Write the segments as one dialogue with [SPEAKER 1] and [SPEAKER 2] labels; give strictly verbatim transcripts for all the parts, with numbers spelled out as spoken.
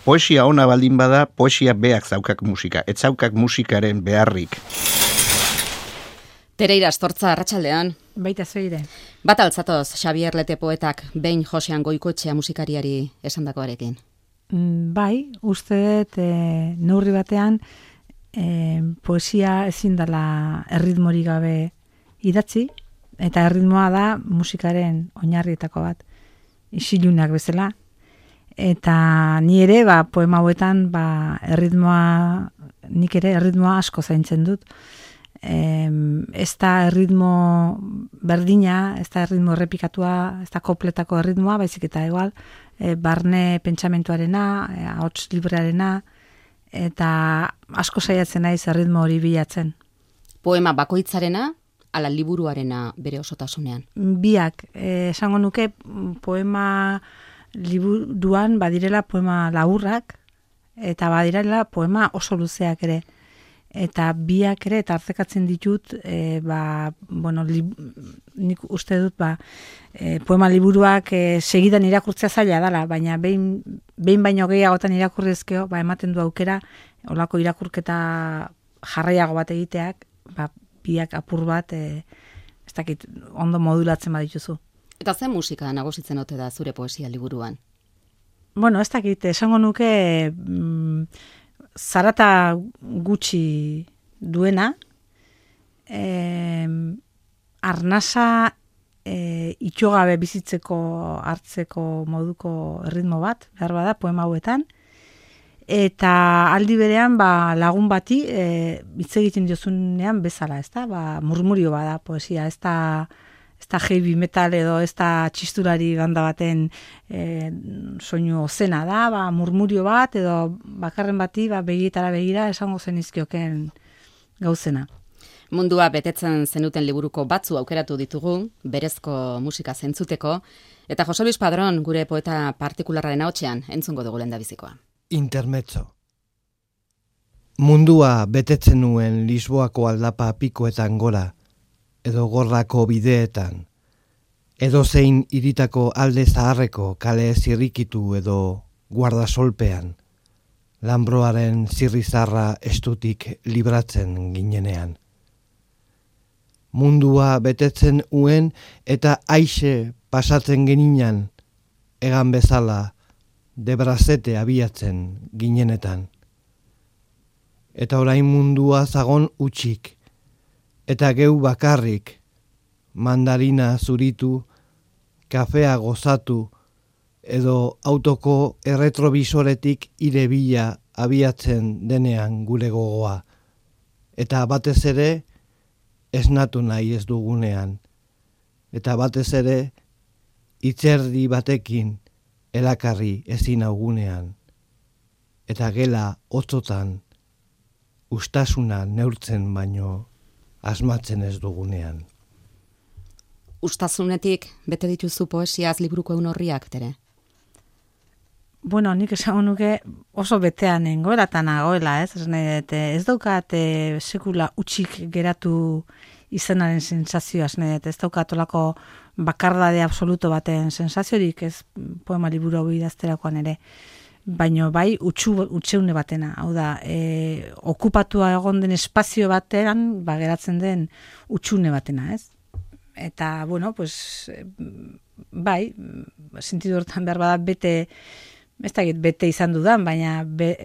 [SPEAKER 1] poesia ona baldin bada, poesia beak zaukak musika, ez zaukak musikaren beharrik.
[SPEAKER 2] Tereira Astortza, arratsaldean.
[SPEAKER 3] Baita zeire.
[SPEAKER 2] Bat altzatoz, Xabier Lete poetak behin Josean Goikoetxea musikariari esandakoarekin.
[SPEAKER 3] Mm, bai, uste dut e, neurri batean e, poesia ezin dela erritmori gabe idatzi, eta erritmoa da musikaren oinarrietako bat, isilunak bezala. Eta ni ere, ba, poema hauetan, ba, erritmoa, nik ere erritmoa asko zaintzen dut. Eh, ez da erritmo berdina, ez da erritmo errepikatua, ez da kopletako erritmoa, baizik eta igual, eh, barne pentsamentuarena, eh, ahots librearena, eta asko saiatzen naiz erritmo hori bilatzen.
[SPEAKER 2] Poema bakoitzarena, ala liburuarena bere osotasunean?
[SPEAKER 3] Biak, eh, esango nuke poema liburuan badirela poema laburrak, eta badirela poema oso luzeak ere. Eta biak ere, eta hartzekatzen ditut, e, ba, bueno, li, nik uste dut, ba, e, poema liburuak e, segidan irakurtzea zaila dela, baina behin, behin baino gehiagotan irakurrezkeo, ba, ematen du aukera, olako irakurketa jarraiago bat egiteak, ba, biak apur bat, e, ez dakit, ondo modulatzen badituzu.
[SPEAKER 2] Eta zen musika nagusitzen ote da zure poesia liburuan?
[SPEAKER 3] Bueno, ez dakit, esango nuke, mm, zarata gutxi duena, eh, arnasa eh, itxogabe bizitzeko hartzeko moduko erritmo bat, behar bada, poema hauetan, eta aldi berean ba, lagun bati eh, hitz egiten diozunean bezala, ez da, ba, murmurio bada poesia, ez da, ez da heavy metal edo ez da txisturari banda baten e, soinu ozena da, ba, murmurio bat edo bakarren bati ba, begietara begira esango zenizkioken gauzena.
[SPEAKER 2] Mundua betetzen zenuten liburuko batzu aukeratu ditugu, berezko musika zentzuteko, eta Jose Luis Padrón gure poeta partikularraren ahotsean entzungo dugu lehendabizikoa.
[SPEAKER 4] Intermezzo. Mundua betetzen nuen Lisboako aldapa pikoetan gora, edo gorrako bideetan, edo zein iritako alde zaharreko kale zirrikitu edo guardasolpean, lanbroaren zirrizarra estutik libratzen ginenean. Mundua betetzen uen eta aixe pasatzen geninan, egan bezala debrazete abiatzen ginenetan. Eta orain mundua zagon utxik, eta geu bakarrik, mandarina zuritu, kafea gozatu, edo autoko erretrobisoretik ire bila abiatzen denean gure gogoa. Eta batez ere, esnatu nahi ez dugunean. Eta batez ere, itzerdi batekin elakarri ezin augunean. Eta gela hotzotan, ustasuna neurtzen baino, asmatzen ez dugunean.
[SPEAKER 2] Ustazunetik bete dituzu poesiaz liburuko egun horriak, Tere?
[SPEAKER 3] Bueno, nik esango nuke oso betean nengoelatan nagoela, ez? Ez, ez daukat e, sekula utxik geratu izanaren sensazioa, ez, ez daukat olako bakardade absoluto baten sensaziorik, ez poema liburu hau idazterakoan ere. Baino bai utxu, utxeune batena, hau da, e, okupatua egon den espazio batean, ba, geratzen den utxune batena, ez? Eta, bueno, pues, bai, sentidu hortan behar bada bete, ez da bete izan dudan, baina be,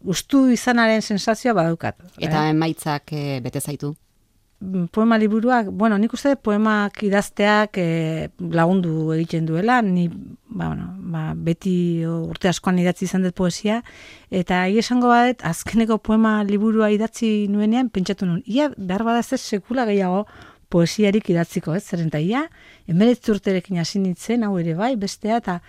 [SPEAKER 3] ustu izanaren sensazioa badaukat.
[SPEAKER 2] Eta eh? emaitzak e, bete zaitu?
[SPEAKER 3] Poema liburuak, bueno, nik uste poemak idazteak e, lagundu egiten duela, ni ba, bueno, ba, beti urte askoan idatzi izan dut poesia, eta egi esango badet, azkeneko poema liburua idatzi nuenean, pentsatu nuen, ia behar badaz ez sekula gehiago poesiarik idatziko, ez, zeren eta ia, emeretzi urterekin hasi nintzen, hau ere bai, bestea, eta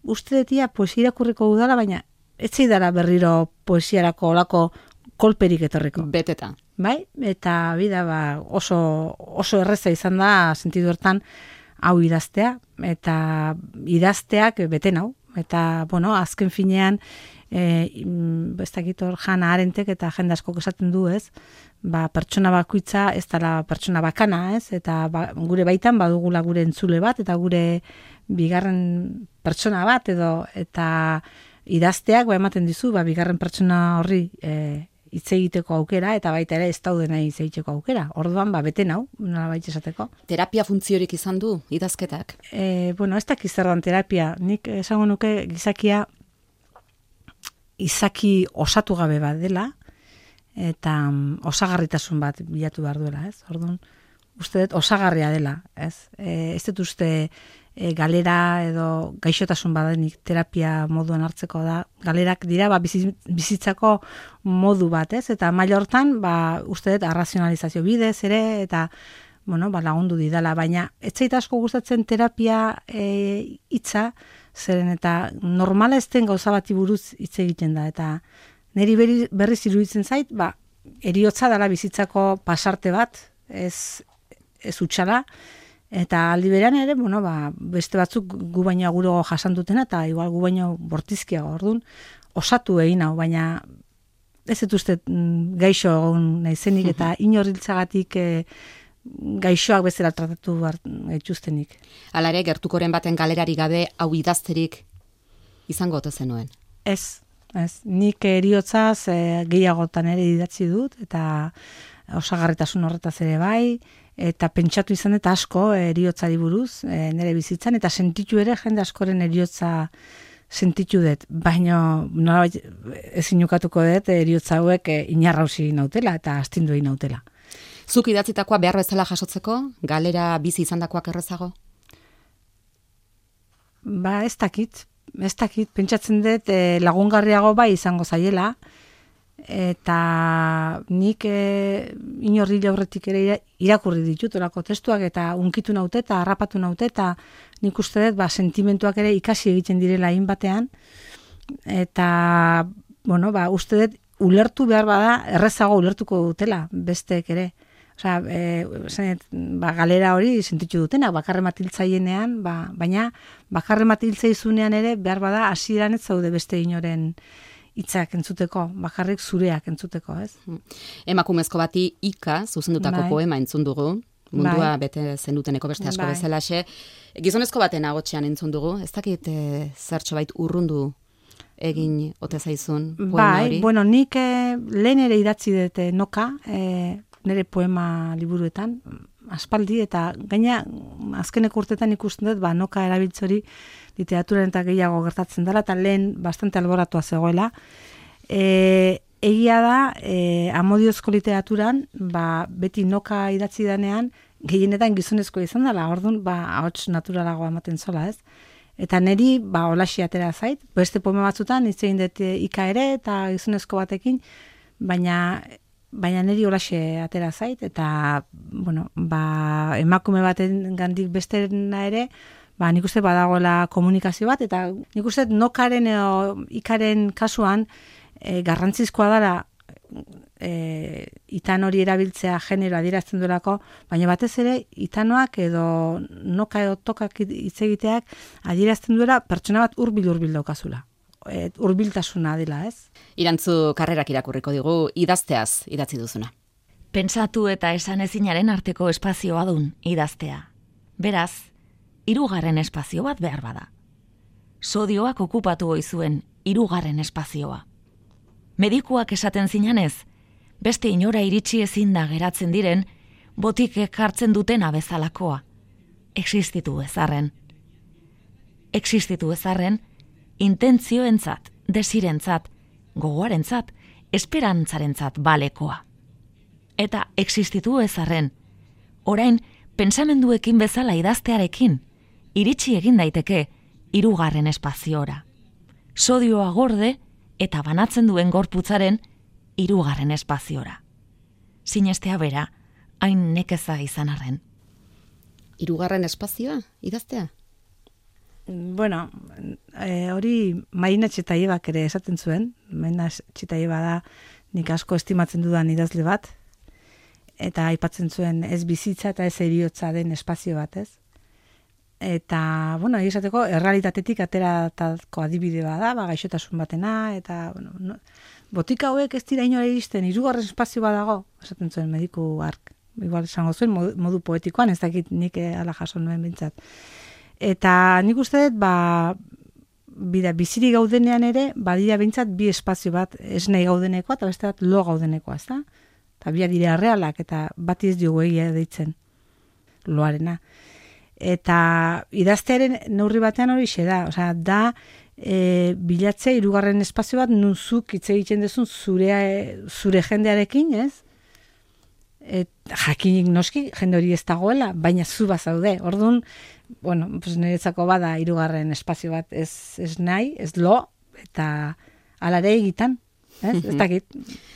[SPEAKER 3] uste detia poesia irakurriko udala, baina ez zaidala berriro poesiarako olako kolperik etorriko.
[SPEAKER 2] Beteta.
[SPEAKER 3] Bai, eta bida ba, oso, oso erreza izan da, sentidu hortan, hau idaztea, eta idazteak beten hau. Eta, bueno, azken finean, e, ez dakit hor Hannah Arendtek eta jende askok esaten du, ez? Ba, pertsona bakoitza ez dela pertsona bakana, ez? Eta ba, gure baitan badugula gure entzule bat, eta gure bigarren pertsona bat, edo eta idazteak ba ematen dizu ba bigarren pertsona horri e, hitz egiteko aukera eta baita ere ez daudena hitz egiteko aukera. Orduan ba bete nau, nolabait esateko.
[SPEAKER 2] Terapia funtziorik izan du idazketak?
[SPEAKER 3] Eh, bueno, ez dakit zer dan terapia. Nik esango nuke gizakia izaki osatu gabe bat dela eta um, osagarritasun bat bilatu behar duela, ez? Orduan, uste dut osagarria dela, ez? E, ez dut uste e, galera edo gaixotasun badenik terapia moduan hartzeko da. Galerak dira ba, bizitzako modu bat, ez? Eta maila hortan, ba, uste dut arrazionalizazio bidez ere, eta bueno, ba, lagundu didala, baina ez zait asko gustatzen terapia e, hitza, zeren eta normala ez den gauza bati buruz hitz egiten da, eta niri berri, berriz iruditzen zait, ba, eriotza dela bizitzako pasarte bat, ez, ez utxala, eta aldi berean ere, bueno, ba, beste batzuk gu baino aguro jasan dutena, eta igual gu baino bortizkiago, orduan, osatu egin hau, baina ez dut uste gaixo naizenik, eta inoriltzagatik e, gaixoak bezala tratatu gaituztenik.
[SPEAKER 2] Hala ere, gertukoren baten galerari gabe hau idazterik izango ote zenuen?
[SPEAKER 3] Ez, ez. Nik eriotzaz e, gehiagotan ere idatzi dut, eta osagarritasun horretaz ere bai, eta pentsatu izan eta asko eriotzari buruz, e, nire bizitzan, eta sentitu ere jende askoren eriotza sentitu dut, baina nolabait ezin ukatuko dut eriotza hauek e, inarrausi nautela eta astindu egin nautela.
[SPEAKER 2] Zuk idatzitakoa behar bezala jasotzeko, galera bizi izandakoak errezago?
[SPEAKER 3] Ba, ez dakit, ez dakit, pentsatzen dut e, lagungarriago bai izango zaiela, eta nik e, inorri aurretik ere irakurri ditut olako testuak, eta unkitu naute eta harrapatu naute, eta nik uste dut ba, sentimentuak ere ikasi egiten direla hain batean, eta bueno, ba, uste dut ulertu behar bada errezago ulertuko dutela besteek ere. Osea, e, zenet, ba, galera hori sentitu dutena, bakarre matiltzaienean, ba, baina bakarre matiltzaizunean ere behar bada hasieran ez zaude beste inoren hitzak entzuteko, bakarrik zureak entzuteko, ez?
[SPEAKER 2] Emakumezko bati Ika zuzendutako
[SPEAKER 3] bai.
[SPEAKER 2] Poema entzun dugu, mundua
[SPEAKER 3] bai.
[SPEAKER 2] bete zenduteneko beste asko
[SPEAKER 3] bai.
[SPEAKER 2] bezalaxe. Gizonezko baten agotxean entzun dugu, ez dakit e, zertxo bait urrundu egin ote zaizun poema
[SPEAKER 3] bai,
[SPEAKER 2] hori?
[SPEAKER 3] Bueno, nik eh, lehen ere idatzi dut eh, noka, eh, nire poema liburuetan, aspaldi, eta gaina azkeneko urtetan ikusten dut, ba, noka erabiltzori literaturan eta gehiago gertatzen dela, eta lehen bastante alboratua zegoela. E, egia da, e, amodiozko literaturan, ba, beti noka idatzi danean, gehienetan gizonezko izan dela, orduan, ba, ahots naturalagoa ematen zola, ez? Eta niri, ba, holaxi atera zait, beste poema batzutan, hitz egin dut Ika ere, eta gizonezko batekin, baina baina niri holaxe atera zait, eta, bueno, ba, emakume baten gandik bestena ere, ba, nik uste badagoela komunikazio bat, eta nik uste nokaren edo Ikaren kasuan e, garrantzizkoa dara e, itan hori erabiltzea genero adierazten duelako, baina batez ere itanoak edo noka edo tokak hitz egiteak adierazten duela pertsona bat hurbil-hurbil daukazula. Hurbiltasuna dela, ez?
[SPEAKER 2] Irantzu karrerak irakurriko digu, idazteaz idatzi duzuna.
[SPEAKER 5] Pentsatu eta esan ezinaren arteko espazioa dun idaztea. Beraz, hirugarren espazio bat behar bada. Sodioak okupatu oizuen hirugarren espazioa. Medikuak esaten zinanez, beste inora iritsi ezin da geratzen diren, botikek hartzen dutena bezalakoa. Existitu ezarren. Existitu ezarren, intentzioentzat, desirentzat, gogoarentzat, esperantzarentzat balekoa. Eta existitu ezarren, orain pensamenduekin bezala idaztearekin, iritsi egin daiteke hirugarren espaziora. Sodioa gorde eta banatzen duen gorputzaren hirugarren espaziora. Sinestea bera, hain nekeza izan arren.
[SPEAKER 2] Hirugarren espazioa idaztea?
[SPEAKER 3] Bueno, e, hori Marina Txetaiebak ere esaten zuen. Marina Txetaieba da nik asko estimatzen dudan idazle bat, eta aipatzen zuen ez bizitza eta ez heriotza den espazio bat, ez? Eta, bueno, esateko, errealitatetik ateratako adibide bada, ba, gaixotasun batena, eta, bueno, no, botika hauek ez dira inora iristen, hirugarren espazio badago, esaten zuen mediku ark. Igual esango zuen modu, modu poetikoan, ez dakit nik ala jaso nuen bintzat. Eta nik uste dut, ba, bida, biziri gaudenean ere, badia behintzat bi espazio bat, ez nahi gaudenekoa, eta beste bat lo gaudenekoa, ez da? Eta bia dira realak, eta bati ez diogu egia deitzen loarena. Eta idaztearen neurri batean hori xe da, osea, da e, bilatzea hirugarren espazio bat nuzuk hitz egiten duzun zure, zure jendearekin, ez? Et, jakinik noski, jende hori ez dagoela, baina zu bazaude. Orduan, bueno, pues niretzako bada hirugarren espazio bat ez, ez nahi, ez lo, eta alare egitan. Ez, ez dakit.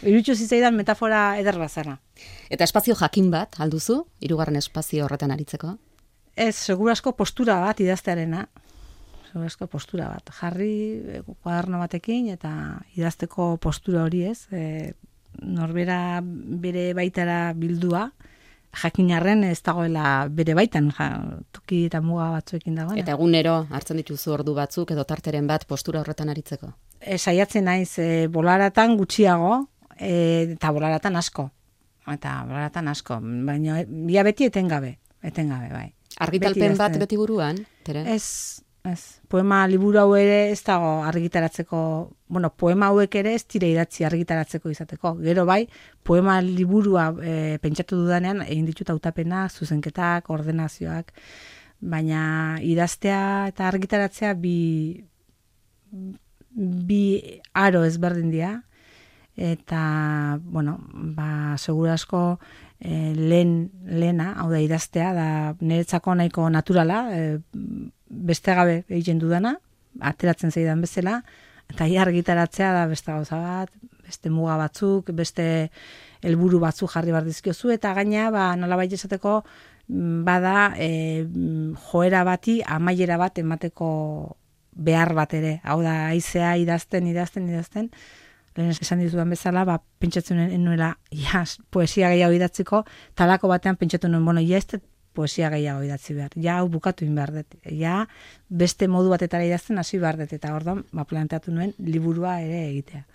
[SPEAKER 3] Irutxu zitzaidan metafora eder bazara.
[SPEAKER 2] Eta espazio jakin bat, alduzu, hirugarren espazio horretan aritzeko?
[SPEAKER 3] Ez, segurasko postura bat idaztearena. Segurasko postura bat. Jarri kuaderno batekin eta idazteko postura hori ez. E, norbera bere baitara bildua, jakinarren ez dagoela bere baitan, ja, toki eta muga batzuekin dagoena.
[SPEAKER 2] Eta egunero hartzen dituzu ordu batzuk edo tarteren bat postura horretan aritzeko?
[SPEAKER 3] E, saiatzen naiz, e, bolaratan gutxiago, e, eta bolaratan asko. Eta bolaratan asko, baina bia beti etengabe, etengabe, bai.
[SPEAKER 2] Argitalpen bat beti buruan, Tere?
[SPEAKER 3] Ez, ez. Poema liburu hau ere ez dago argitaratzeko, bueno, poema hauek ere ez tire idatzi argitaratzeko izateko. Gero bai, poema liburua e, pentsatu dudanean, egin ditut hautapenak, zuzenketak, ordenazioak, baina idaztea eta argitaratzea bi, bi aro ezberdin dira, eta, bueno, ba, segurasko e, lehen, lehena, hau da idaztea, da niretzako nahiko naturala, e, beste gabe egiten dudana, ateratzen zeidan bezala, eta ia argitaratzea da beste gauza bat, beste muga batzuk, beste helburu batzuk jarri behar dizkiozu, eta gaina, ba, nolabait esateko, bada e, joera bati, amaiera bat emateko behar bat ere. Hau da, haizea idazten, idazten, idazten, lehen esan dizudan bezala, ba, pentsatzen nuela, ja, poesia gehiago idatziko, talako batean pentsatu nuen, bueno, ja, ez poesia gehiago idatzi behar, ja, hau bukatu in behar dut, ja, beste modu batetara idazten hasi behar dut, eta orduan, ba, planteatu nuen, liburua ere egitea.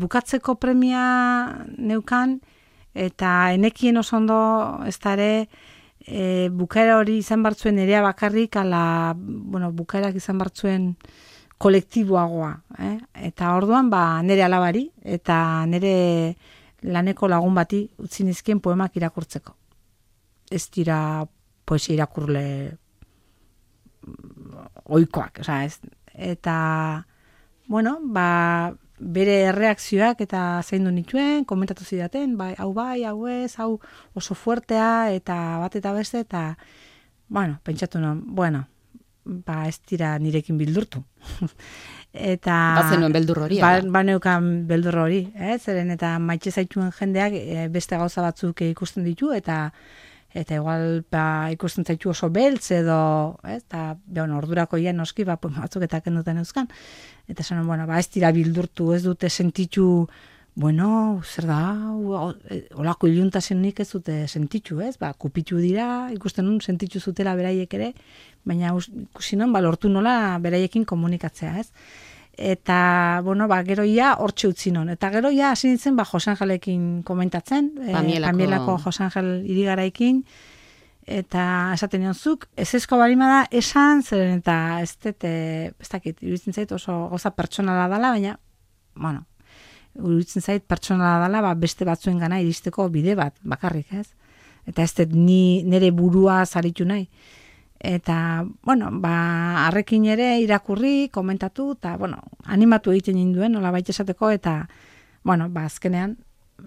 [SPEAKER 3] Bukatzeko premia neukan, eta enekien oso ondo, ez da ere, e, bukaera hori izan bartzuen erea bakarrik, ala, bueno, bukaerak izan bartzuen kolektiboagoa, eh? Eta orduan, ba, nire alabari, eta nire laneko lagun bati utzi nizkien poemak irakurtzeko. Ez dira poesia irakurle oikoak, osea, ez. Eta, bueno, ba, bere erreakzioak eta zein du nituen, komentatu zidaten, bai, hau bai, hau ez, hau oso fuertea, eta bat eta beste, eta, bueno, pentsatu non, bueno, ba, ez dira nirekin bildurtu. Eta
[SPEAKER 2] bazenuen beldur hori,
[SPEAKER 3] ba, ba neukan beldur hori, eh? Zeren eta maitxe zaituen jendeak e, beste gauza batzuk ikusten ditu, eta eta igual ba, ikusten zaitu oso beltz edo, eh? Eta bueno, ordurako ja noski ba, batzuk eta kenduten euskan. Eta esan, bueno, ba, ez dira bildurtu, ez dute sentitu, bueno, zer da, olako iluntasunik ez dute sentitu, ez? Ba, kupitu dira, ikusten nun sentitu zutela beraiek ere, baina ikusi non, ba, lortu nola beraiekin komunikatzea, ez? Eta, bueno, ba, gero ia hortxe utzi non. Eta gero ia hasi nintzen, ba, Josangelekin komentatzen,
[SPEAKER 2] Pamielako,
[SPEAKER 3] eh, Pamielako Josangel irigaraikin, eta esaten nion zuk, ez ezko barima da esan, zeren eta ez dut, ez dakit, iruditzen zait oso goza pertsonala dela, baina, bueno, iruditzen zait pertsonala dela, ba, beste batzuen gana iristeko bide bat, bakarrik, ez? Eta ez dut ni nire burua zaritu nahi. Eta, bueno, ba, arrekin ere irakurri, komentatu, eta, bueno, animatu egiten ninduen, nola baita esateko, eta, bueno, ba, azkenean,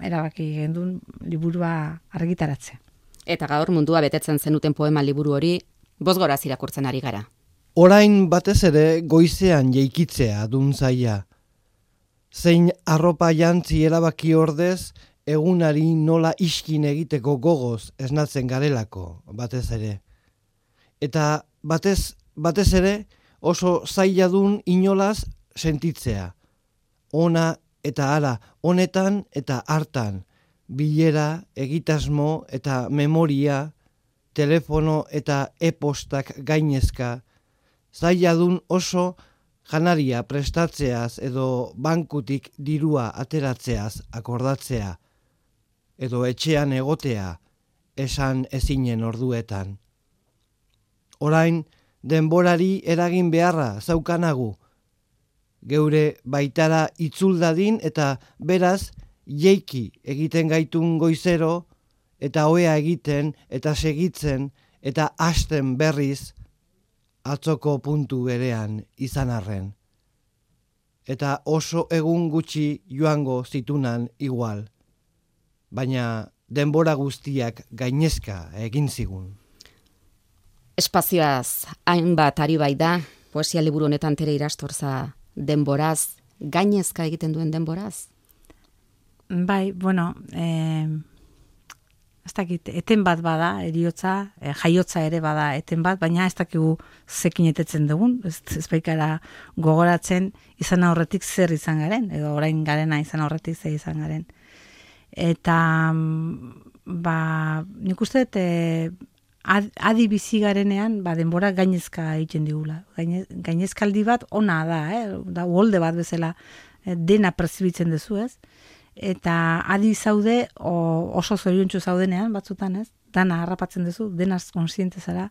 [SPEAKER 3] erabaki gendun liburua argitaratzea.
[SPEAKER 2] Eta gaur mundua betetzen zenuten poema liburu hori, bosgoraz irakurtzen ari gara.
[SPEAKER 4] Orain batez ere goizean jeikitzea dun zaia. Zein arropa jantzi erabaki ordez, egunari nola iskin egiteko gogoz esnatzen garelako, batez ere. Eta batez, batez ere oso zaila dun inolaz sentitzea. Ona eta ara, honetan eta hartan, bilera, egitasmo eta memoria, telefono eta e-postak gainezka, zaila dun oso janaria prestatzeaz edo bankutik dirua ateratzeaz akordatzea, edo etxean egotea, esan ezinen orduetan. Orain, denborari eragin beharra zaukanagu, geure baitara itzul dadin eta beraz jeiki egiten gaitun goizero eta ohea egiten eta segitzen eta hasten berriz atzoko puntu berean izan arren. Eta oso egun gutxi joango zitunan igual, baina denbora guztiak gainezka egin zigun.
[SPEAKER 2] Espazioaz hainbat ari bai da, poesia liburu honetan tere irastorza denboraz, gainezka egiten duen denboraz?
[SPEAKER 3] Bai, bueno, eh, ez dakit, eten bat bada, eriotza, eh, jaiotza ere bada eten bat, baina ez dakigu zekin etetzen dugun, ez, ez baikara gogoratzen izan aurretik zer izan garen, edo orain garena izan aurretik zer izan garen. Eta, ba, nik uste dut, eh, adi bizi garenean, ba, denbora gainezka egiten digula. Gaine, gainezkaldi bat ona da, eh? Da uholde bat bezala eh, dena perzibitzen duzu, ez? Eta adi zaude o, oso zoriontsu zaudenean batzutan, ez? Dana harrapatzen duzu, denaz konsiente zara.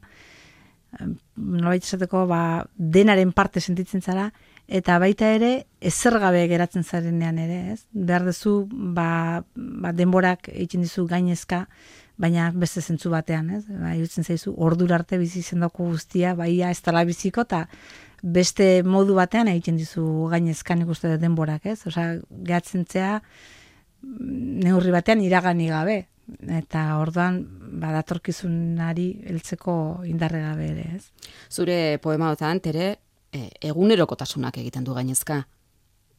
[SPEAKER 3] Nolabait esateko, ba, denaren parte sentitzen zara, eta baita ere ezer gabe geratzen zarenean ere, ez? Behar duzu, ba, ba denborak egiten dizu gainezka, baina beste zentzu batean, ez? Ba, irutzen zaizu, ordura arte bizi zendoko guztia, baia ez dela biziko, eta beste modu batean egiten dizu gainezkan ikuste denborak, ez? Osea, gehatzen zea neurri batean iragani gabe, eta orduan badatorkizunari heltzeko indarre gabe ere, ez?
[SPEAKER 2] Zure poemaotan, tere, e, egunerokotasunak egiten du gainezka.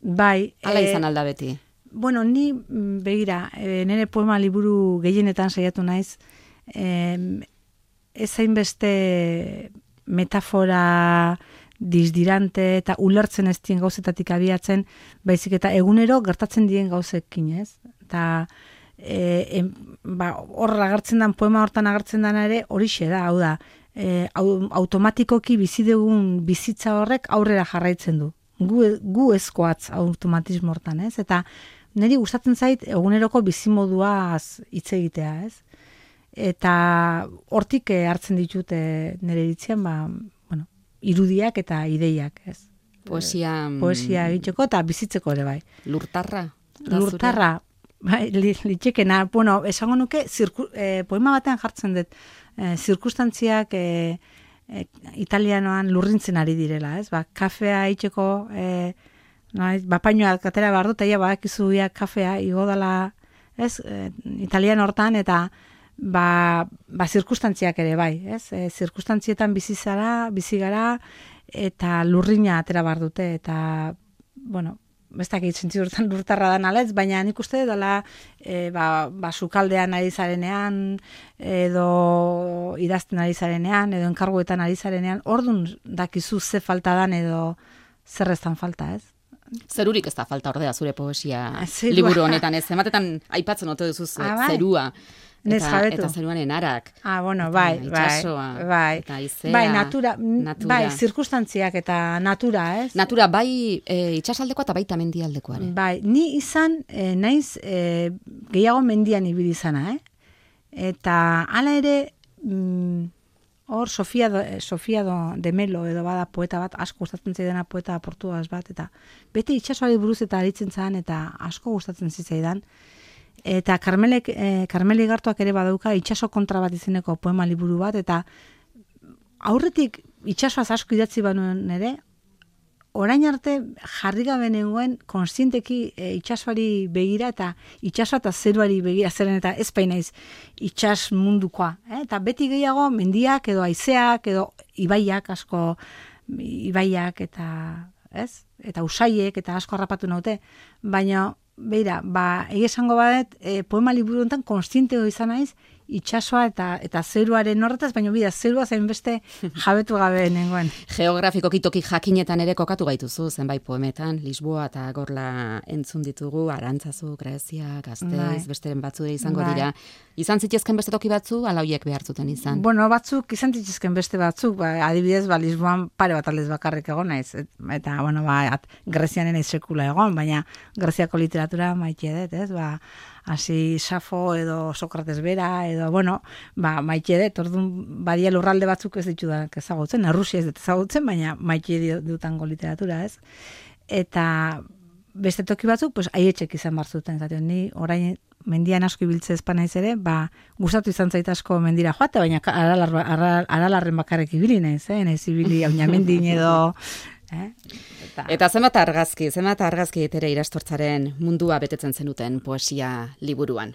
[SPEAKER 3] Bai.
[SPEAKER 2] Hala
[SPEAKER 3] e,
[SPEAKER 2] izan alda beti.
[SPEAKER 3] Bueno, ni begira, e, nire poema liburu gehienetan saiatu naiz, e, ez hainbeste metafora disdirante eta ulertzen ez dien gauzetatik abiatzen, baizik eta egunero gertatzen dien gauzekin, ez? Eta e, em, ba, hor agertzen den, poema hortan agertzen dena ere, horixe da, hau da, e, automatikoki bizi dugun bizitza horrek aurrera jarraitzen du. Gu, gu ezkoatz automatismo hortan, ez? Eta niri gustatzen zait eguneroko bizimoduaz hitz egitea, ez? Eta hortik hartzen ditut nire iritzien, ba, bueno, irudiak eta ideiak, ez?
[SPEAKER 2] Poesia...
[SPEAKER 3] Poesia egiteko eta bizitzeko ere, bai.
[SPEAKER 2] Lurtarra?
[SPEAKER 3] Lurtarra, bai, litxekena. Bueno, esango nuke, zirku, eh, poema batean jartzen dut, eh, zirkustantziak eh, eh, italianoan lurrintzen ari direla, ez? Ba, kafea egiteko... Eh, No, bapainoa katera behar dut, eta badakizu ja kafea igo dela, ez, e, italian hortan, eta ba, ba zirkustantziak ere bai, ez, e, zirkustantzietan bizi zara, bizi gara, eta lurrina atera behar dute, eta, bueno, ez dakit sentzidu hortan lurtarra da naletz, baina nik uste dela, e, ba, ba sukaldean ari zarenean, edo idazten ari zarenean, edo enkarguetan ari zarenean, ordun dakizu ze falta dan, edo zer ez dan falta, ez?
[SPEAKER 2] Zerurik ez da falta ordea zure poesia
[SPEAKER 3] Zerua.
[SPEAKER 2] Liburu honetan, ez? Ematetan aipatzen ote duzu
[SPEAKER 3] Ah, bai.
[SPEAKER 2] zerua.
[SPEAKER 3] Nez
[SPEAKER 2] Eta,
[SPEAKER 3] jabetu.
[SPEAKER 2] eta zeruanen arak.
[SPEAKER 3] Ah, bueno, bai,
[SPEAKER 2] Eta
[SPEAKER 3] bai,
[SPEAKER 2] itsasoa,
[SPEAKER 3] bai.
[SPEAKER 2] eta haizea,
[SPEAKER 3] Bai, natura,
[SPEAKER 2] natura.
[SPEAKER 3] bai, zirkustantziak eta natura, ez?
[SPEAKER 2] Natura bai e, itsasaldekoa eta baita mendialdekoa ere.
[SPEAKER 3] Bai, ni izan, e, naiz, e, gehiago mendian ibili izana, eh? Eta hala ere, mm, hor, Sofia, do, Sofia do, de Melo edo bada poeta bat, asko gustatzen zaidana poeta portugaz bat, eta bete itsasoari buruz eta aritzen zan, eta asko gustatzen zitzaidan. Eta Karmelek, eh, Karmeli Gartuak ere badauka itsaso kontra bat izeneko poema liburu bat, eta aurretik itsasoaz asko idatzi banuen ere, orain arte jarri gabe nengoen konstienteki e, itsasoari begira eta itsasoa eta zeruari begira, zeren eta ez painaiz itsas mundukoa. Eh? Eta beti gehiago mendiak edo haizeak edo ibaiak asko, ibaiak eta, ez? Eta usaiek eta asko harrapatu naute, baina beira, ba, egi esango badet, e, poema liburu honetan konstiente izan naiz, itsasoa eta eta zeruaren horretaz, baina bida, zerua zain beste jabetu gabe nengoen.
[SPEAKER 2] Geografikoki toki jakinetan ere kokatu gaituzu, zenbait poemetan, Lisboa eta Gorla entzun ditugu, Arantzazu, Grezia, Gasteiz,
[SPEAKER 3] Bai.
[SPEAKER 2] besteren batzu izango
[SPEAKER 3] Bai.
[SPEAKER 2] dira. Izan zitzezken beste toki batzu, ala hoiek behartzuten izan.
[SPEAKER 3] Bueno, batzuk izan dituzken beste batzuk, ba, adibidez, ba, Lisboan pare bat aldez bakarrik egon naiz, et, eta, bueno, ba, at, Grezianen ez sekula egon, baina Greziako literatura maite dut, ez, ba, hasi Safo edo Sokrates bera, edo, bueno, ba, maite dut, orduan badia lurralde batzuk ez ditudanak ezagutzen, Errusia ez dut ezagutzen, baina maite dutango literatura, ez. eta beste toki batzuk, pues, aietxek izan barzuten, zaten, ni orain mendian asko ibiltze espanaiz ere, ba, gustatu izan zait asko mendira joate, baina aralar, aral, aralarren bakarrik ibili naiz, eh? Naiz ibili aunamendin edo... Eh? Eta,
[SPEAKER 2] eta zenbat argazki, zenbat argazki ere irastortzaren mundua betetzen zenuten poesia liburuan.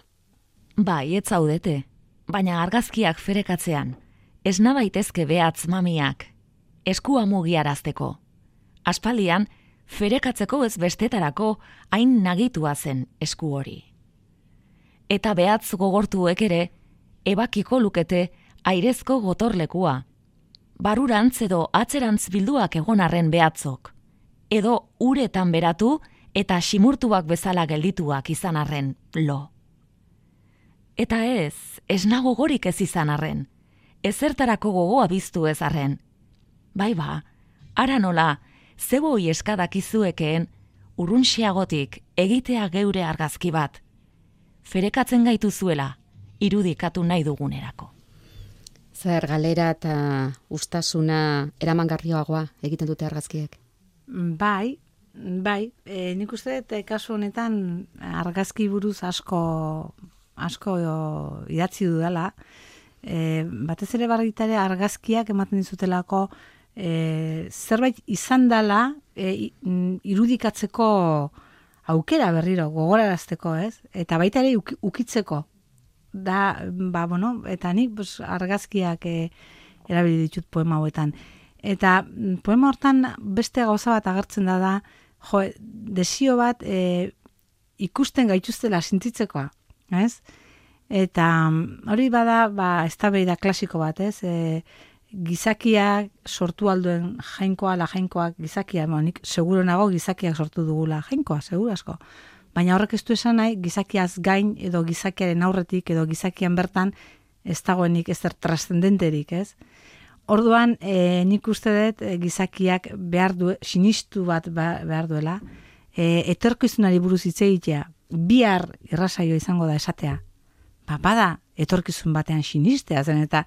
[SPEAKER 5] Bai, ez zaudete, baina argazkiak ferekatzean, ez nabaitezke behatz mamiak, eskua mugiarazteko. Aspaldian, ferekatzeko ez bestetarako hain nagitua zen esku hori. Eta behatz gogortuek ere, ebakiko lukete airezko gotorlekua. Barurantz edo atzerantz bilduak egon arren behatzok. Edo uretan beratu eta simurtuak bezala geldituak izan arren lo. Eta ez, ez nago gorik ez izan arren. Ezertarako gogoa biztu ez arren. Bai ba, ara nola, zeboi eskadak izuekeen, urrunxiagotik egitea geure argazki bat. Ferekatzen gaitu zuela, irudikatu nahi dugunerako.
[SPEAKER 2] Zer, galera eta ustasuna eramangarrioagoa egiten dute argazkiek?
[SPEAKER 3] Bai, bai. E, nik uste dut kasu honetan argazki buruz asko asko idatzi dudala. E, batez ere barritare argazkiak ematen dizutelako e, zerbait izan dela e, irudikatzeko aukera berriro, gogorarazteko, ez? Eta baita ere uk, ukitzeko. Da, ba, bueno, eta nik pues, argazkiak e, erabili ditut poema hauetan. Eta poema hortan beste gauza bat agertzen da da, jo, desio bat e, ikusten gaituztela sintitzekoa, ez? Eta hori bada, ba, eztabaida klasiko bat, ez? E, gizakiak sortu alduen jainkoa, la jainkoak gizakia, bueno, nik seguro nago gizakiak sortu dugula jainkoa, seguro asko. Baina horrek ez du esan nahi, gizakiaz gain edo gizakiaren aurretik edo gizakian bertan ez dagoenik ezer trascendenterik, ez? Orduan, e, nik uste dut e, gizakiak behar du, sinistu bat behar duela, e, etorkizunari buruz hitz egitea, bihar irrasaio izango da esatea. Ba, bada, etorkizun batean sinistea zen, eta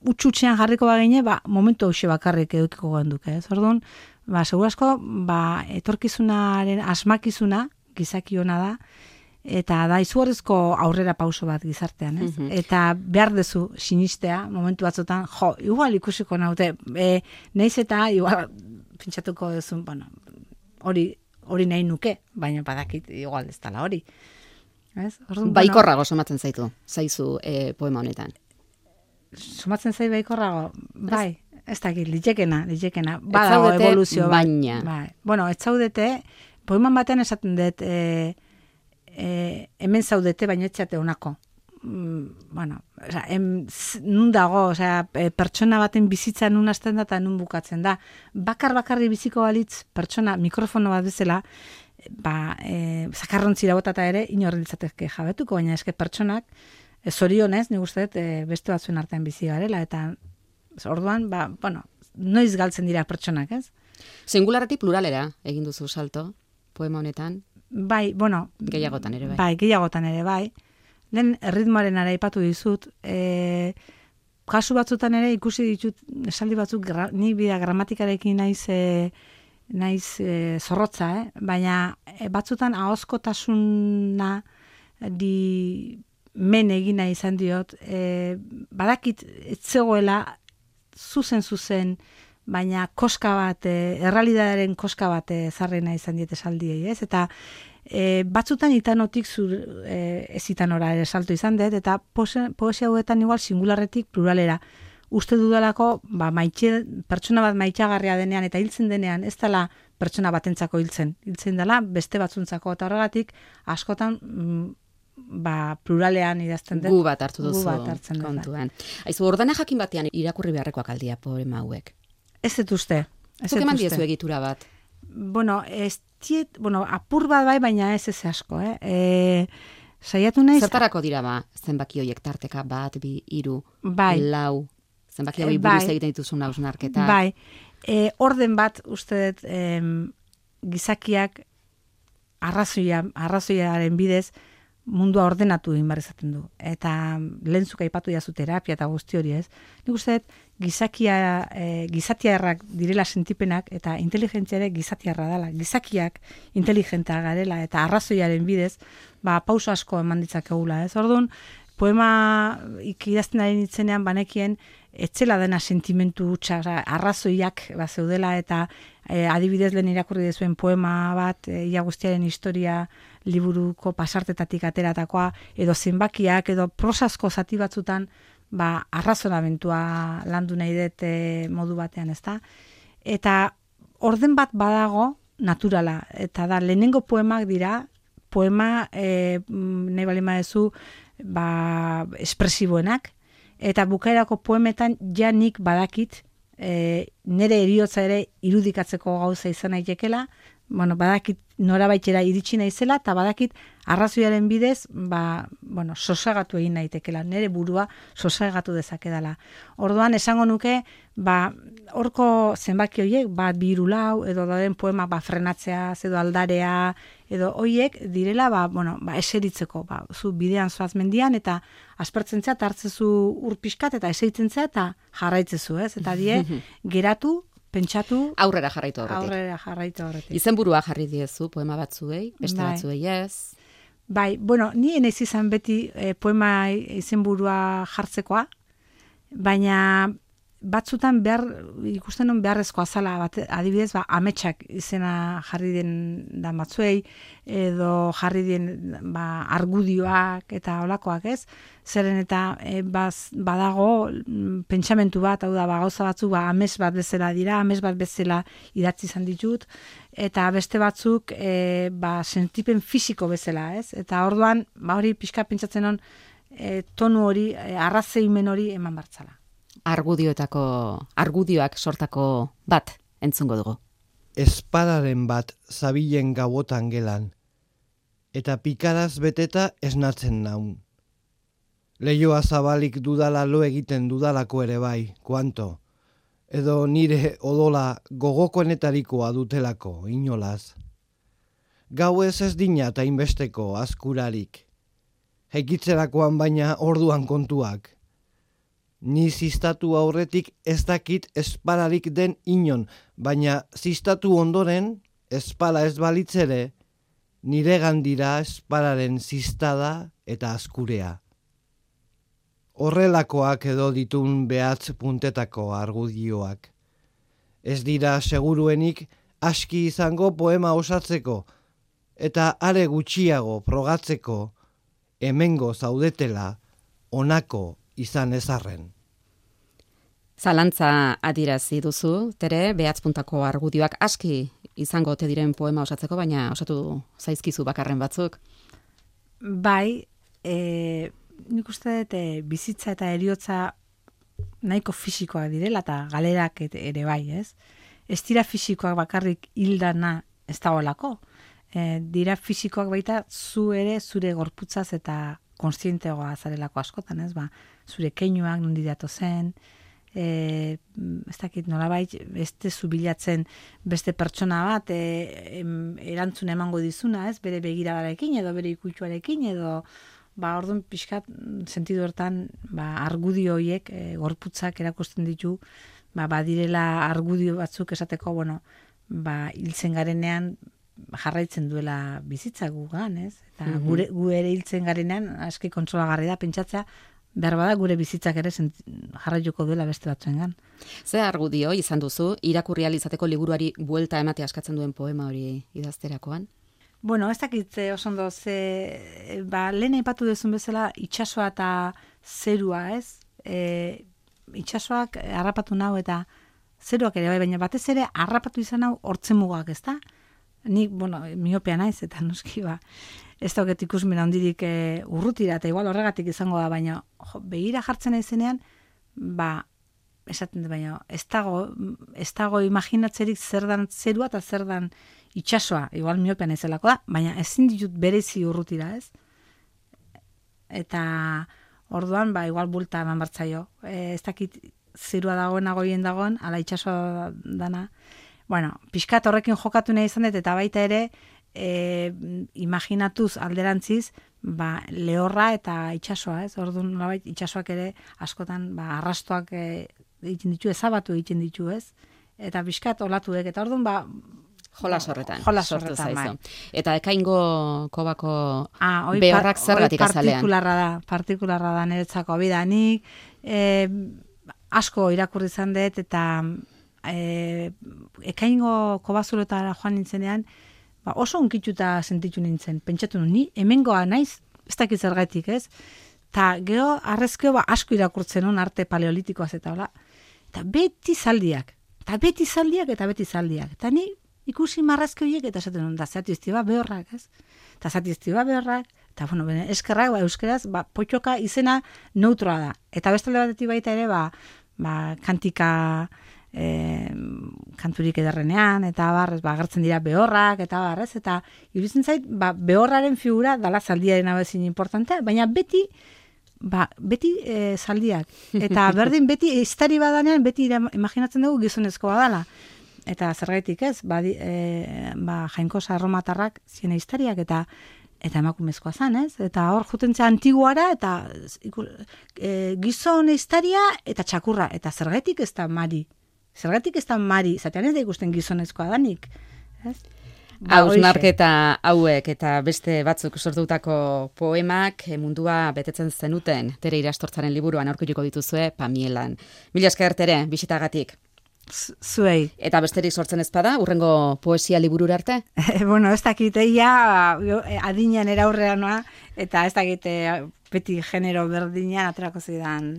[SPEAKER 3] utxutxean jarriko bagine, ba, momentu hause bakarrik edukiko genduke, ez? Orduan, ba, segurasko, ba, etorkizunaren asmakizuna, gizaki hona da, eta da izugarrizko aurrera pauso bat gizartean, ez? Mm-hmm. Eta behar dezu sinistea, momentu batzutan, jo, igual ikusiko naute, e, neiz eta igual pentsatuko duzun, bueno, hori hori nahi nuke, baina badakit igual ez dela hori. Ez? Orduan,
[SPEAKER 2] baikorrago bueno, somatzen zaitu, zaizu e, poema honetan.
[SPEAKER 3] Somatzen zai baikorrago, bai, ez dakit, litekena, litekena, badago evoluzio.
[SPEAKER 2] Baina.
[SPEAKER 3] Bai. Bueno, ez zaudete, poeman batean esaten dut, e, e, hemen zaudete, baina etxate honako. Mm, bueno, oza, em, nun dago, oza, e, pertsona baten bizitza nun hasten da eta nun bukatzen da. Bakar-bakarri biziko balitz, pertsona, mikrofono bat bezala, ba, e, zakarrontzira botata ere, inorri ditzatezke jabetuko, baina eske pertsonak, e, zorionez, nik uste dut, e, beste batzuen artean bizi garela, eta orduan, ba, bueno, noiz galtzen dira pertsonak, ez?
[SPEAKER 2] Singularretik pluralera egin duzu salto, poema honetan?
[SPEAKER 3] Bai, bueno.
[SPEAKER 2] Gehiagotan ere bai.
[SPEAKER 3] Bai, gehiagotan ere bai. Lehen erritmoaren ara aipatu dizut, e, kasu batzutan ere ikusi ditut, esaldi batzuk, gra, ni bida gramatikarekin naiz, e, naiz e, zorrotza, eh? Baina e, batzutan ahozkotasuna di men egina izan diot, e, badakit ez zegoela zuzen zuzen, baina koska bat, e, errealitatearen koska bat ezarrena izan diet esaldiei, ez? Eta e, batzutan itanotik zur, e, ez itanora ere salto izan dut, eta poesia hauetan igual singularretik pluralera. Uste dudalako, ba, maitxe, pertsona bat maitxagarria denean eta hiltzen denean, ez dela pertsona batentzako hiltzen. Hiltzen dela beste batzuntzako, eta horregatik askotan mm, ba, pluralean idazten dut.
[SPEAKER 2] Gu bat hartu duzu
[SPEAKER 3] gu bat hartzen
[SPEAKER 2] kontuan. Aizu, ordena jakin batean irakurri beharrekoak aldia poema hauek.
[SPEAKER 3] Ez dut uste.
[SPEAKER 2] Zuk eman diezu egitura bat?
[SPEAKER 3] Bueno, ez diet, bueno, apur bat bai, baina ez ez asko, eh? E, saiatu naiz...
[SPEAKER 2] Zertarako dira ba, zenbaki horiek tarteka bat, bi, hiru,
[SPEAKER 3] bai.
[SPEAKER 2] lau, zenbaki hori buruz bai. Egiten dituzun hausnarketa.
[SPEAKER 3] Bai, e, orden bat, uste dut, em, gizakiak arrazoia, arrazoiaren bidez, mundua ordenatu egin behar izaten du. Eta lehentzuk aipatu jazu terapia eta guzti hori, ez? Nik uste dut, gizakia, e, gizatiarrak direla sentipenak eta inteligentzia ere gizatiarra dela. Gizakiak inteligentea garela eta arrazoiaren bidez, ba, pauso asko eman ditzakegula, ez? Orduan, poema ikidazten ari nitzenean banekien, etzela dena sentimentu hutsa, arrazoiak bat zeudela eta e, adibidez lehen irakurri dezuen poema bat, e, ia guztiaren historia liburuko pasartetatik ateratakoa, edo zenbakiak, edo prosazko zati batzutan, ba, arrazonamentua landu nahi dut e, modu batean, ezta? Eta orden bat badago naturala, eta da, lehenengo poemak dira, poema, e, nahi bali maezu, ba, espresiboenak, eta bukaerako poemetan ja nik badakit, e, nire eriotza ere irudikatzeko gauza izan aitekela, bueno, badakit norabaitera iritsi naizela, eta badakit arrazoiaren bidez, ba, bueno, sosegatu egin naitekela, nire burua sosegatu dezakedala. Orduan, esango nuke, ba, horko zenbaki horiek, bat bi hiru lau, edo dauden poema ba, frenatzea, edo aldarea, edo hoiek direla, ba, bueno, ba, eseritzeko, ba, zu bidean zoaz mendian, eta aspertzen zea, eta hartzezu urpiskat, eta eseritzen zea, eta jarraitzezu, ez? Eta die, geratu, pentsatu,
[SPEAKER 2] aurrera jarraitu horretik.
[SPEAKER 3] Aurrera jarraitu horretik.
[SPEAKER 2] Izenburua jarri diezu poema batzuei, beste
[SPEAKER 3] Bai.
[SPEAKER 2] batzuei ez.
[SPEAKER 3] Bai, bueno, ni enez izan beti e, poema izenburua jartzekoa, baina batzutan behar, ikusten non beharrezkoa zala, bat, adibidez, ba, ametsak izena jarri den da batzuei, edo jarri den ba, argudioak eta olakoak, ez? Zeren eta e, baz, badago mm, pentsamentu bat, hau da, ba, gauza batzu, ba, ames bat bezala dira, ames bat bezala idatzi izan ditut, eta beste batzuk e, ba, sentipen fisiko bezala, ez? Eta orduan, ba, hori pixka pentsatzen on, e, tonu hori, e, arrazeimen hori eman bartzala.
[SPEAKER 2] Argudioetako, argudioak sortako bat entzungo dugu.
[SPEAKER 4] Espadaren bat zabilen gabotan gelan, eta pikaraz beteta esnatzen naun. Leioa zabalik dudala lo egiten dudalako ere bai, kuanto, edo nire odola gogokoenetarikoa dutelako, inolaz. Gauez ez dina eta inbesteko askurarik, heikitzerakoan baina orduan kontuak. Ni zistatu aurretik ez dakit espalarik den inon, baina zistatu ondoren, espala ez balitzere, nire gandira espalaren zistada eta askurea. Horrelakoak edo ditun behatz puntetako argudioak. Ez dira seguruenik aski izango poema osatzeko, eta are gutxiago progatzeko, hemengo zaudetela, onako izan ezarren.
[SPEAKER 2] Zalantza adirazi duzu, tere, behatz puntako argudioak aski izango ote diren poema osatzeko, baina osatu zaizkizu bakarren batzuk.
[SPEAKER 3] Bai, e, nik uste dut e, bizitza eta eriotza nahiko fisikoak direla, eta galerak ere bai, ez? Ez dira fisikoak bakarrik hildana ez dagoelako. E, dira fisikoak baita zu ere zure gorputzaz eta konstienteagoa zarelako askotan, ez? Ba, zure keinuak nondi dato zen, e, ez dakit nolabait, beste zubilatzen beste pertsona bat e, em, erantzun emango dizuna, ez? Bere begiradarekin edo bere ikutuarekin edo ba orduan pixkat sentidu hortan ba, argudio horiek e, gorputzak erakusten ditu, ba, badirela argudio batzuk esateko, bueno, ba, hiltzen garenean jarraitzen duela bizitza gugan, ez? Eta
[SPEAKER 2] Mhm.
[SPEAKER 3] gure, gu ere hiltzen garenean aski kontsolagarri da pentsatzea, behar bada gure bizitzak ere sent, jarraituko duela beste batzuengan.
[SPEAKER 2] Ze argudio izan duzu, irakurri ahal izateko liburuari buelta ematea askatzen duen poema hori idazterakoan?
[SPEAKER 3] Bueno, ez dakit eh, oso ondo, ze, ba, lehen aipatu duzun bezala itsasoa eta zerua, ez? E, itsasoak harrapatu nau eta zeruak ere bai, baina batez ere harrapatu izan hau hortzemugak, ez da? Nik, bueno, miopea naiz eta noski ba, ez dauket ikusmena handirik e, urrutira, eta igual horregatik izango da, baina jo, begira jartzen naizenean, ba, esaten dut, baina ez dago, ez dago imaginatzerik zer dan zerua eta zer dan itsasoa, igual miopea naizelako da, baina ezin ditut berezi urrutira, ez? Eta orduan, ba, igual bulta eman bartzaio. E, ez dakit zerua dagoen agoien dagoen, ala itsasoa dana. Bueno, pixkat horrekin jokatu nahi izan dut, eta baita ere, e, imaginatuz alderantziz, ba, lehorra eta itsasoa, ez? Orduan nolabait itsasoak ere askotan ba arrastoak e, egiten ditu, ezabatu egiten ditu, ez? Eta bizkat olatuek eta orduan ba
[SPEAKER 2] Jolas horretan,
[SPEAKER 3] jolas
[SPEAKER 2] sortu
[SPEAKER 3] horretan,
[SPEAKER 2] zaizu.
[SPEAKER 3] bai.
[SPEAKER 2] Eta ekaingo kobako
[SPEAKER 3] Ah, hoi
[SPEAKER 2] behorrak
[SPEAKER 3] par-
[SPEAKER 2] zergatik
[SPEAKER 3] hoi
[SPEAKER 2] azalean?
[SPEAKER 3] partikularra da, partikularra da niretzako bidanik, e, asko irakurri izan dut eta e, ekaingo kobazuletara joan nintzenean, ba, oso unkituta sentitu nintzen, pentsatu nun, ni hemengoa naiz, ez dakit zergatik, ez? Ta geho, arrezkeo ba, asko irakurtzen nun arte paleolitikoaz eta hola, eta beti zaldiak, eta beti zaldiak, eta beti zaldiak, eta ni ikusi marrazki horiek eta esaten duen, da zati iztiba behorrak, ez? Eta zati iztiba behorrak, eta bueno, bene, eskerrak, ba, euskeraz, ba, potxoka izena neutroa da. Eta bestalde batetik baita ere, ba, ba kantika e, kanturik ederrenean, eta barrez, ba, agertzen dira behorrak, eta barrez, eta iruditzen zait, ba, behorraren figura dala zaldiaren abezin importantea, baina beti, ba, beti e, zaldiak. Eta berdin, beti, iztari badanean, beti ira, imaginatzen dugu gizonezkoa dala. Eta zergaitik ez, ba, e, ba, jainkosa erromatarrak ziren historiak eta eta emakumezkoa zan, ez? Eta hor jutentzea antiguara eta iku, e, gizon historia eta txakurra. Eta zergaitik ez da mari. Zergaitik ez da mari. Zatean ez da ikusten gizonezkoa danik. Ez? Ba,
[SPEAKER 2] Hausnarketa hauek eta beste batzuk sortutako poemak mundua betetzen zenuten Tere Irastortzaren liburuan aurkituko dituzue Pamielan. Mila esker Tere, bisitagatik.
[SPEAKER 3] Zuei.
[SPEAKER 2] Eta besterik sortzen ezpada, urrengo poesia liburura arte?
[SPEAKER 3] Bueno, ez dakite, ia adinean eraurrea noa, eta ez dakite beti genero berdinean aterako zidan,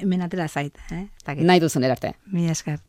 [SPEAKER 3] hemen atera zait. Eh?
[SPEAKER 2] Nahi duzen erarte.
[SPEAKER 3] Mila esker.